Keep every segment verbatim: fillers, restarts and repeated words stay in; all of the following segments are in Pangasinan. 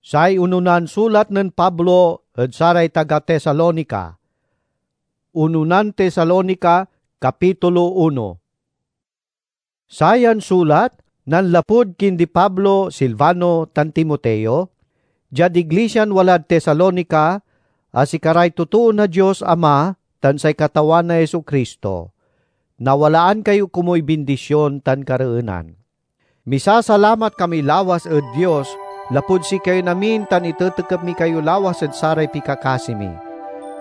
Say ononan sulat nen Pablo ed saray taga Tesalonica. Ononan Tesalonica, kapitulo uno. Sayan sulat nanlapud kindi Pablo, Silvano, tan Timoteo, diad iglisian walad Tesalonica, a sikaray totoo na Dios Ama tan say Katawan a Jesu-Cristo. Nawalaan kayo komuy bindision tan kareenan. Misasalamat kami lawas ed Dios lapud sikayon amin tan itetekep mi kayo lawas ed saray pikakasi mi.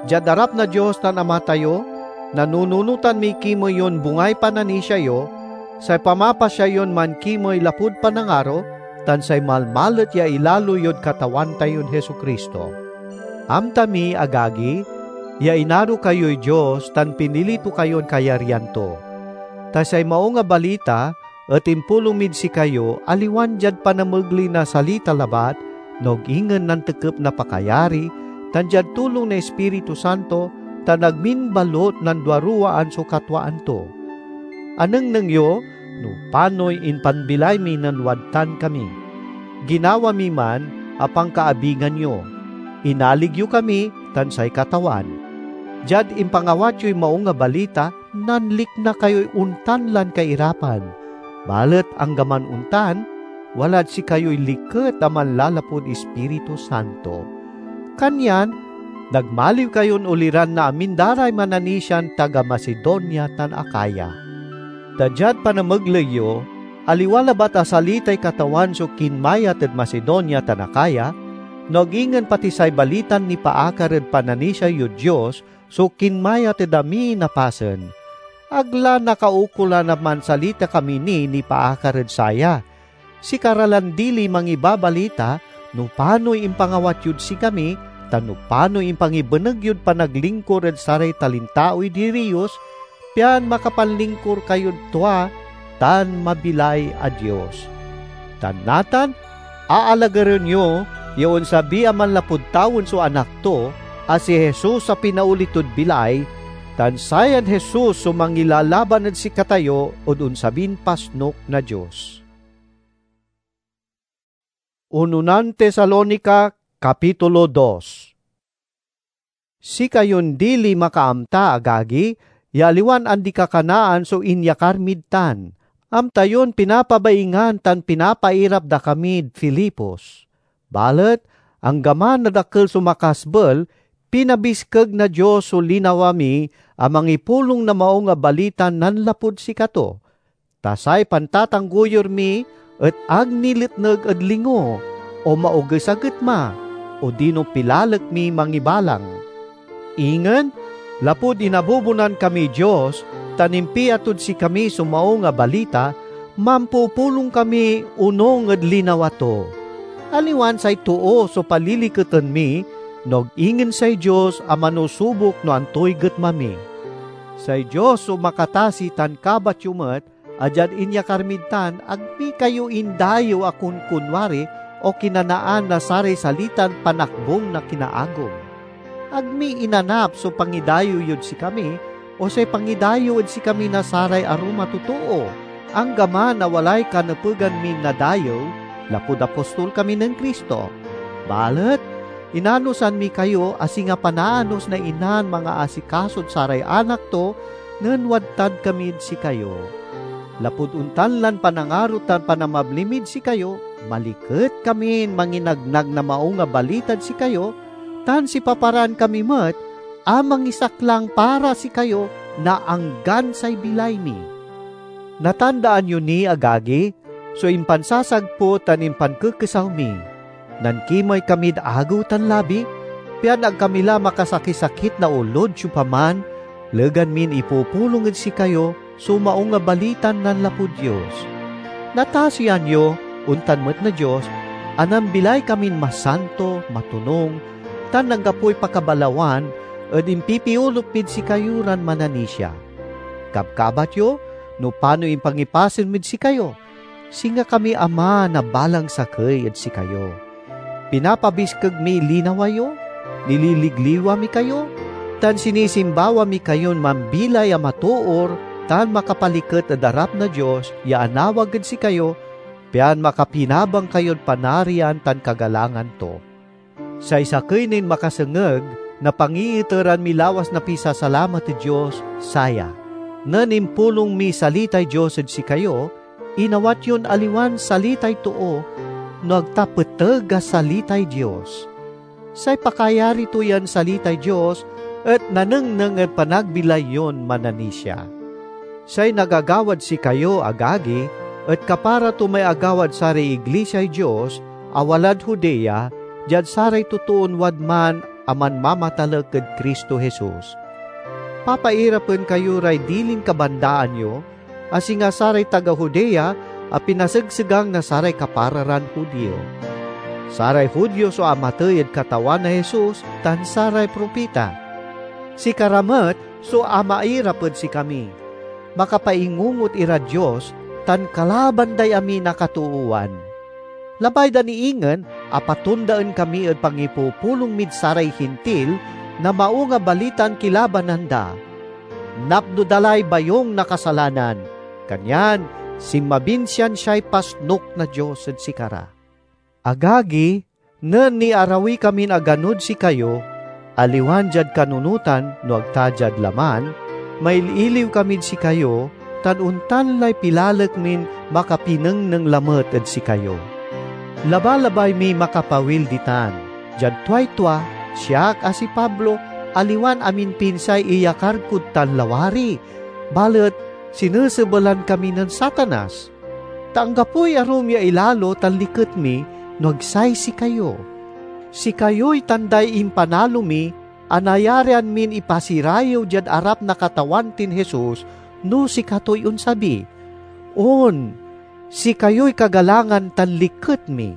Diad arap na Dios tan Ama tayo, nanununotan miy kimey yon bungay pananisia yo, say pamapasya yon mankimey lapud panangaro, tan say malmalet ya ilalo yod Katawan tayon Jesu-Cristo. Amta mi, agagi, ya inaro kayoy Dios tan pinili to kayon kayaryan to. Ta say Maung a Balita et impulong mid sikayo aliwan diad panamegley na salita labat, no ag ingen nantekep na pakayari, tan diad tulong na Ispiritu Santo, tan ag min balut nanduaruwaan so katwaan to. Anengneng yo no panoy impanbilay mi nen wadtan kami. Ginawa mi man a pankaabigan yo. Inalig yo kami tan say Katawan. Diad impangawat yoy Maung a Balita, nanlikna kayoy ontan lan kairapan. Balet anggaman ontan, walad sikayoy liket a manlalapud Ispiritu Santo. Kanyan nagmaliw kayon oliran na amin da ray mananisian taga Macedonia tan Acaya. Ta diad panamegley yo, aliwa labat a salitay Katawan so kinmayat ed Macedonia tan Acaya, no ag ingen pati say balitan nipaakar ed pananisia yod Dios so kinmayat ed amin a pasen. Ag la nakaukolan a mansalita kami ni nipaakar ed saya. Sikara lan dili mangibabalita no panoy impangawat yod sikami, tan no panoy impangibeneg yod panaglingkur ed saray talintaoy diriyos, pian makapanlingkur kayod tua tan mabilay a Dios. Tan natan, aalagaren yo ya onsabi a manlapud tawen so Anak to, a si Jesus a pinaoli tod bilay, tan sayan Jesus so mangilalaban ed sikatayo ed onsabin pasnok na Dios. Ononan Tesalonica, kapitulo dos. Sikayon dili makaamta, agagi, ya aliwan andi-kakanaan so inyakar mid tan. Amta yon pinapabaingan tan pinapairap da kamid Filipos. Balet anggaman a dakel so makasbel, pinabiskeg na Dios so linawa mi a mangipulong na Maung a Balita nanlapud sikato. Ta say pantatanggoyur mi et ag niletneg ed lingo o maoges a getma, odino pilalek mi mangibalang. Ingen, lapud inabubonan kamiy Dios tan impiatod sikami so Maung a Balita, mampupulong kami onung ed linawa to. Aliwan say too so paliliketen mi, no ag ingen say Dios a manusubok no antoy getma mi. Say Dios so makatasi tan kabat yo met, a diad inyakar mid tan, ag mi kayo indayew a kunkunwari o kinanaan na saray salitan panakbong na kinaagom. Ag mi inanap so pangidayew yod sikami, o say pangidayew ed sikami na saray arum a totoo, anggaman a walay kanepegan min nadayew, lapud apostol kami nen Cristo. Balet inanosan mi kayo a singa panaanos na inan mangaasikasod saray anak to nen wadtad kamid sikayo. Lapud ontan lan panangaro tan panamabli mid sikayo, maliket kamin manginagnag na Maung a Balitad sikayo, tan sipaparan kami met a mangisaklang para sikayo na anggan say bilay mi. Natandaan yo ni, agagi, so impansasagput tan impankekesaw mi. Nankimey kamid agew tan labi, pian ag kami la makasakisakit na olod siopaman, legan min ipupulong ed sikayo so Maung a Balitan nanlapud Dios. Natasian yo, ontan met na Dios, a nambilay kamin masanto, matonung, tan anggapoy pakabalawan ed impipiolup mid sikayo ran mananisia. Kabkabat yo no panoy impangipasen mid sikayo, singa kami ama na balang sakey ed sikayo. Pinapabiskeg miy linawa yo, nililigliwa mi kayo, tan sinisimbawa mi kayon mambilay a matoor tan makapaliket ed arap na Dios ya anawag ed sikayo, pian makapinabang kayod Panarian tan kagalangan to. Say sakey nin makasengeg na pangiiteran mi lawas na pisasalamat ed Dios, saya: nen impulong miy salitay Dios ed sikayo, inawat yon aliwan salitay too, no ag ta peteg a salitay Dios. Say pakayari to yan salitay Dios et nanengneng ed panagbilay yon mananisia. Say nagagawad sikayo, agagi, et kapara to may agawad saray iglisiay Dios a walad Judea, diad saray totoon wadman a manmamatalek ed Cristo Jesus. Papairapen kayo ray dilin kabandaan yo, a singa saray taga Judea a pinasegsegang na saray kapara ran Judio. Saray Judio so amatey ed Katawan a Jesus tan saray propita. Sikara met so amairap ed sikami. Makapaingungot irad Dios tan kalaban day amin a katoowan. Labay da ni ingen a patondaen kami ed pangipupulong mid saray Hintil na Maung a Balitan kilabanan da. Napno da lay bayung na kasalanan, kanyan sinmabin siansiay pasnok na Dios ed sikara. Agagi, nen niarawi kamin aganod sikayo, aliwan diad kanunotan no ag ta diad laman, mail-iliw kamid sikayo, tan ontan lay pilalek min makapinengneng lamet ed sikayo. Labalabay miy makapawil ditan. Diad tuay tua, siak a si Pablo, aliwan amin pinsay iyakar kod tan lawari, balet sinesebelan kami nen Satanas. Ta anggapoy arum ya ilalo tan liket mi no ag say sikayo. Sikayoy tanday impanalo mi a nayarian min ipasirayew diad arap na Katawan tin Jesus no sikatoy onsabi. On, sikayoy kagalangan tan liket mi.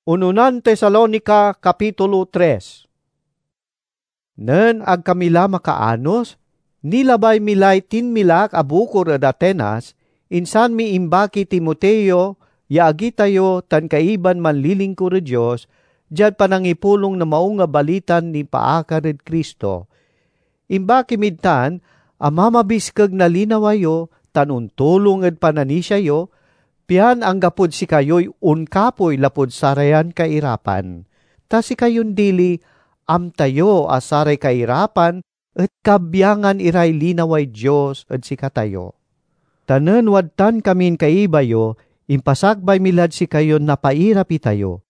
Ununan Tesalonica, Kapitulo tres. Nen ag kami la makaanos, nilabay mi lay tinmilak a bukor ed Atenas, insan mi imbakiy Timoteo ya agi tayo tan kaiban manlilingkur ed Dios diad panangipulong na Maung a Balitan nipaakar ed Cristo. Imbaki mid tan a mamabiskeg na linawa yo tan ontulong ed pananisia yo, pian anggapod sikayoy onkapoy lapud sarayan kairapan. Ta sikayon dili, amta yo a saray kairapan et kabyangan iray linaway Dios ed sikatayo. Ta nen wadtan kamin kaiba yo, impasakbay mi lad sikayon napairap itayo,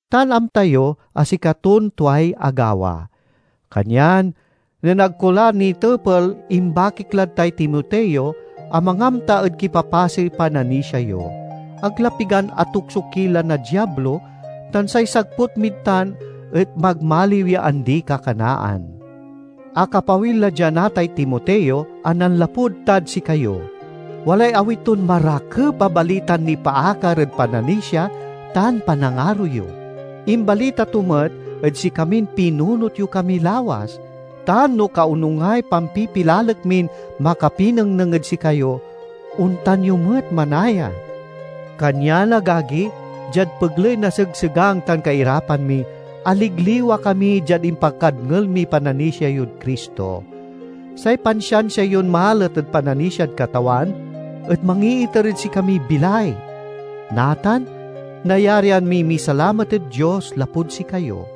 tan amta yo a sikaton tuay agawa. Kanyan, nen ag ko la nitepel, imbakik lad tay Timoteo a mangamta ed kipapasey pananisia yo. Ag la pigan atukso ki la na Diablo, tan say sagput mid tan et magmaliw ya andi-kakanaan. Akapawil la dia natay Timoteo a nanlapud tad sikayo. Walay awit ton marakep a balitan nipaakar ed pananisia tan panangaro yo. Imbalita to met ed sikamin pinunot yo kami lawas, tan no kaonungay pampipilalek min makapinengneng ed sikayo, ontan yo met manaya. Kanyan, agagi, diad pegley na segsegang tan kairapan mi, aligliwa kami diad impakadngel miy pananisia yod Cristo. Say pansiansia yon malet ed pananisiad Katawan et mangiiter ed sikamiy bilay. Natan, nayarian miy misalamat ed Dios lapud sikayo.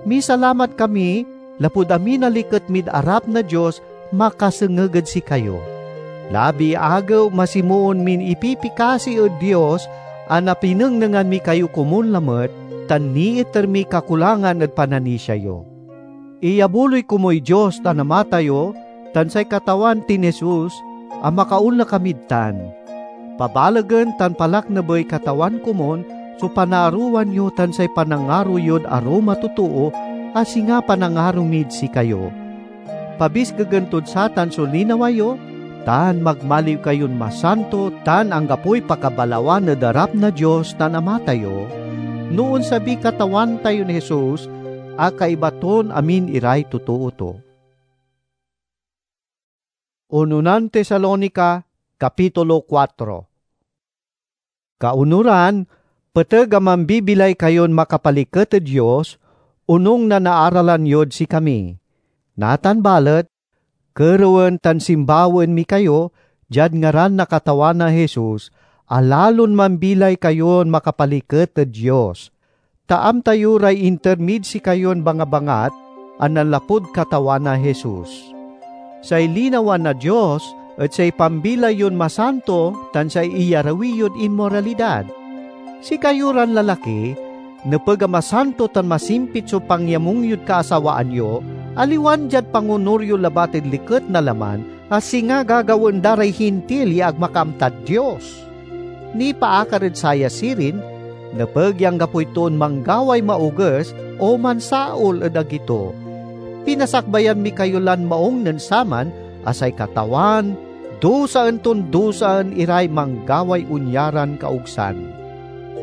Misalamat kami lapud amin a liket mid arap na Dios makasengeg ed sikayo. Labiy agew masimoon min ipipikasi ed Dios a napinengnengan mi kayo komun lamet tan niiter miy kakulangan ed pananisia yo. Iyabuloy komuy Dios tan Ama tayo tan say Katawan tin Jesus a makaonla kamid tan. Pabalegen tan palaknebey Katawan komun so panaarowan yo tan say panangaro yod arum a totoo a singa panangaro mid sikayo. Pabiskegen tod satan so linawa yo, tan magmaliw kayon masanto tan anggapoy pakabalawan ed arap na Dios tan Ama tayo, no onsabiy Katawan tayon Jesus a kaiba ton amin iray totoo to. Ununan Tesalonica, Kapitulo kuatro. Kaunoran, peteg a mambibilay kayon makapaliket ed Dios, onung na naaralan yod sikami. Natan balet, kerewen tan simbawaen mi kayo, diad ngaran na Katawan a Jesus, a lalon mambilay kayon makapaliket ed Dios, ta amta yo ray inter mid sikayon bangabangat a nanlapud Katawan a Jesus. Say linawa na Dios et say pambilay yon masanto tan say iyarawi yod inmoralidad. Sikayo ran lalaki, nepeg a masanto tan masimpit so pangyamung yod kaasawaan yo, aliwan diad pangonur yo labat ed liket na laman, a singa gagawaen da ray Hintil ya ag makaamtad Dios. Nipaakar ed saya sirin, nepeg ya anggapoy toon manggaway maoges o mansaol ed agi to. Pinasakbayan mi kayo lan maung nen saman a say Katawan dusaen ton dusaen iray manggaway onyaran kaogsan.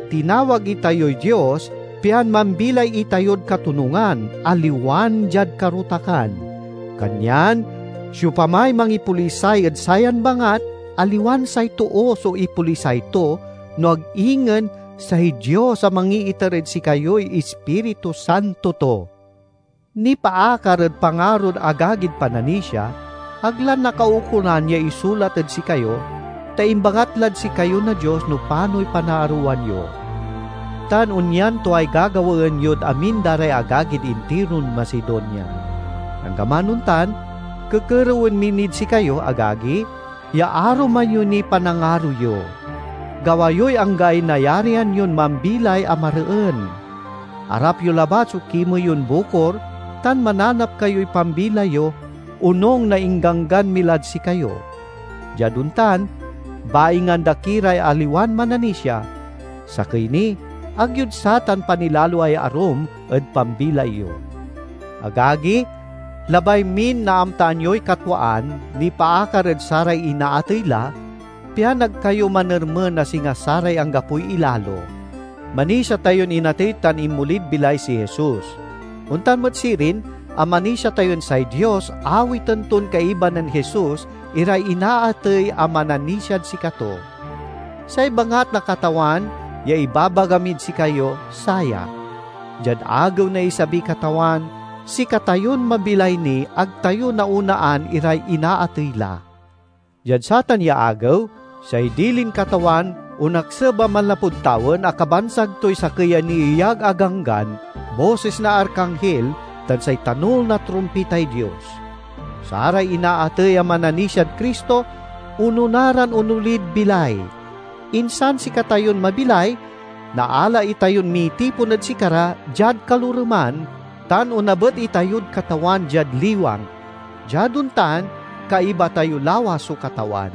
Tinawag itayoy Dios pian mambilay itayod katonungan, aliwan diad karutakan. Kanyan siopamay mangipolisay ed sayan bangat, aliwan say too so ipolisay to, no ag ingen say Dios a mangiiter ed sikayoy Ispiritu Santo to. Nipaakar ed pangarod agagid pananisia, ag la nakaukolan ya isulat ed sikayo, ta imbangat lad sikayo na Dios no panoy panaarowan yo. Tan onyan tuay gagawaen yod amin da ray agagid intiron Macedonia. Anggaman ontan, kekerewen mi nid sikayo, agagi, ya aruman yo niy panangaro yo. Gawa yoy anggaay nayarian yon mambilay a mareen. Arap yo labat so kimey yon bukor, tan mananap kayoy pambilay yo, onung na ingganggan mi lad sikayo. Diad ontan, baingan da ki ray aliwan mananisia, sakey ni, ag yod satan panilaloay arum ed pambilay yo. Agagi, labay min naamtaan yoy katwaan nipaakar ed saray inaatey la, pian ag kayo manermen a singa saray anggapoy ilalo. Manisia tayon inatey tan inmolid bilay si Jesus. Ontan met sirin a manisia tayon say Dios awiten ton kaiba nen Jesus iray inaatey a mananisiad sikato. Say bangat na Katawan ya ibabaga mid sikayo, saya: diad agew na isabiy Katawan, sikatayon mabilay ni ag tayo naonaan iray inaatey la. Diad satan ya agew, say dilin Katawan onakseb a manlapud tawen a kabansag toy sakey a nieyag a ganggan, bosis na arkanghel, tan say tanol na trumpitay Dios. Saray inaatey a mananisiad Cristo onona ran onolid bilay. Insan sikatayon mabilay, naala itayon mitipon ed sikara diad kaloreman, tan onabet itayod Katawan diad liwang. Diad ontan, kaiba tayo lawas so Katawan.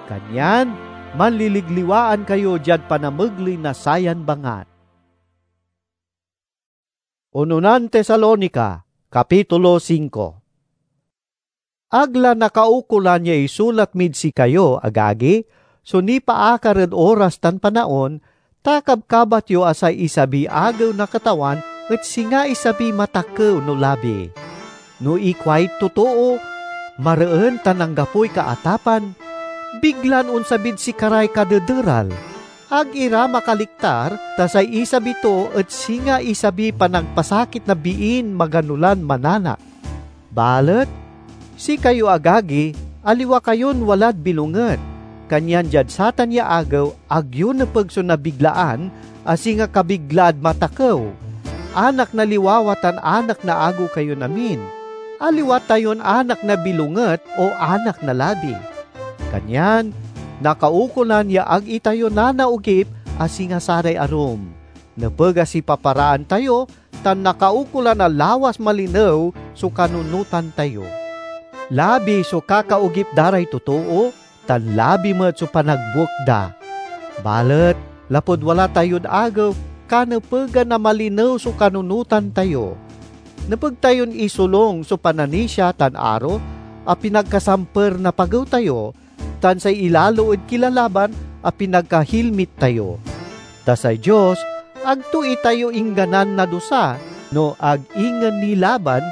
Kanyan, manliligliwaan kayo diad panamegley na sayan bangat. Ononan Tesalonica, Kapitulo singko. Ag la nakaukolan ya isulat mid sikayo, agagi, so nipaakar ed oras tan panaon, ta kabkabat yo a say isabiy agew na Katawan et singa isabiy matakew no labi. No ikuay totoo, mareen tan anggapoy kaatapan, biglan onsabid sikaray kadederal. Ag ira makaliktar, ta say isabi to et singa isabiy panagpasakit na biin magano lan mananak. Balet sikayo, agagi, aliwa kayon walad bilonget, kanyan diad satan ya agew ag yo nepeg so nabiglaan a singa kabiglaad matakew. Anak na liwawa tan anak na agew kayon amin. Aliwa tayon anak na bilonget o anak na labi. Kanyan, nakaukolan ya ag itayo nanaogip a singa saray arum. Nepeg a sipaparaan tayo tan nakaukolan a lawas malinew so kanunotan tayo. Labi so kakaogip da ray totoo, tan labi met so panagbuek da. Balet lapud wala tayod agew, kanepegan a malinew so kanunotan tayo. Nepeg tayon isolung so pananisia tan aro a pinagkasamper na pagew tayo, tan say ilalo ed kilalaban a pinagkahilmit tayo. Ta say Dios ag to itayo ingganan na dusa, no ag ingen nilaban,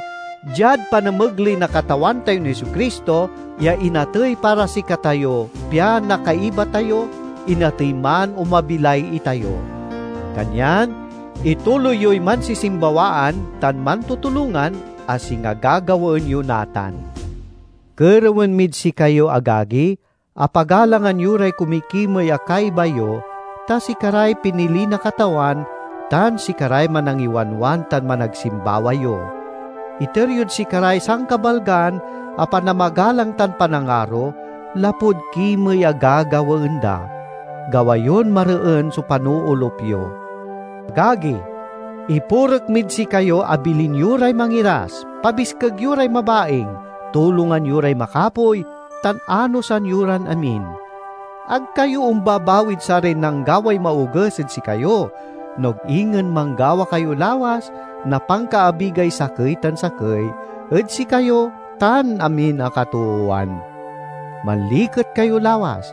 diad panamegley na Katawan tayon Jesu-Cristo ya inatey para sikatayo, pian nakaiba tayo, inatey man o mabilay itayo. Kanyan, ituloy yoy mansisimbawaan tan mantutulongan a singa gagawaen yo natan. Kerewen mid sikayo, agagi, Apagalangan yo ray kumikimey a kaiba yo, ta sikaray pinili na Katawan tan sikaray manangiwanwan tan managsimbawa yo. Iter yod sikaray sankabalgan a panamagalang tan panangaro lapud kimey a gagawaen da. Gawa yon mareen so panoolup yo. Agagi, ipurek mid sikayo a bilin yo ray mangiras, pabiskeg yo ray mabaing, tulongan yo ray makapoy, tan anosan yo ran amin. Ag kayo ombabawid saray nanggaway maoges ed sikayo, no ag ingen manggawa kayo lawas na pankaabigay sakey tan sakey ed sikayo tan amin a katoowan. Manliket kayo lawas,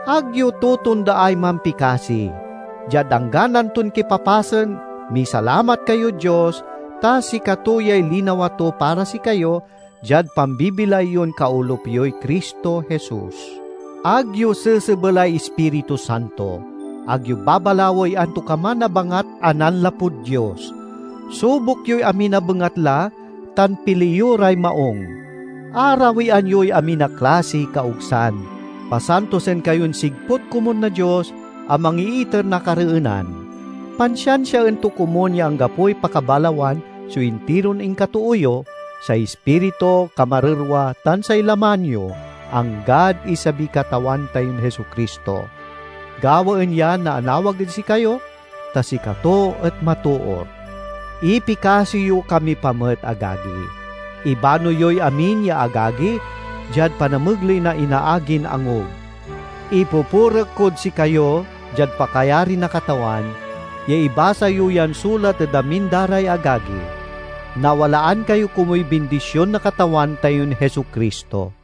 ag yo totondaay mampikasi. Diad anggan anton kipapasen, misalamat kayod Dios, ta sikato yay linawa to para sikayo, diad pambibilay yon kaolup yoy Cristo Jesus. Ag yo sesebelay Ispiritu Santo. Ag yo babalawey antokaman a bangat a nanlapud Dios. Subok yoy amin a bengatla, tan pili yo ray maong. Arawian yoy amin a klasiy kaogsan. Pasantosen kayon sigput komun na Dios a mangiiter na kareenan. Pansiansiaen to komun ya anggapoy pakabalawan so intiron inkatoo yo, say ispiritu, kamarerwa, tan say laman yo, anggad isabiy Katawan tayon Jesu-Cristo. Gawaen ya naanawag ed sikayo, ta sikato et matoor. Ipikasi yo kami pa met, agagi. Ibano yoy amin ya agagi diad panamegley na inaagin angub. Ipupurek kod sikayo diad pakayari na Katawan ya ibasa yo yan sulat ed amin da ray agagi. Nawalaan kayo komuy bindision na Katawan tayon Jesu-Cristo.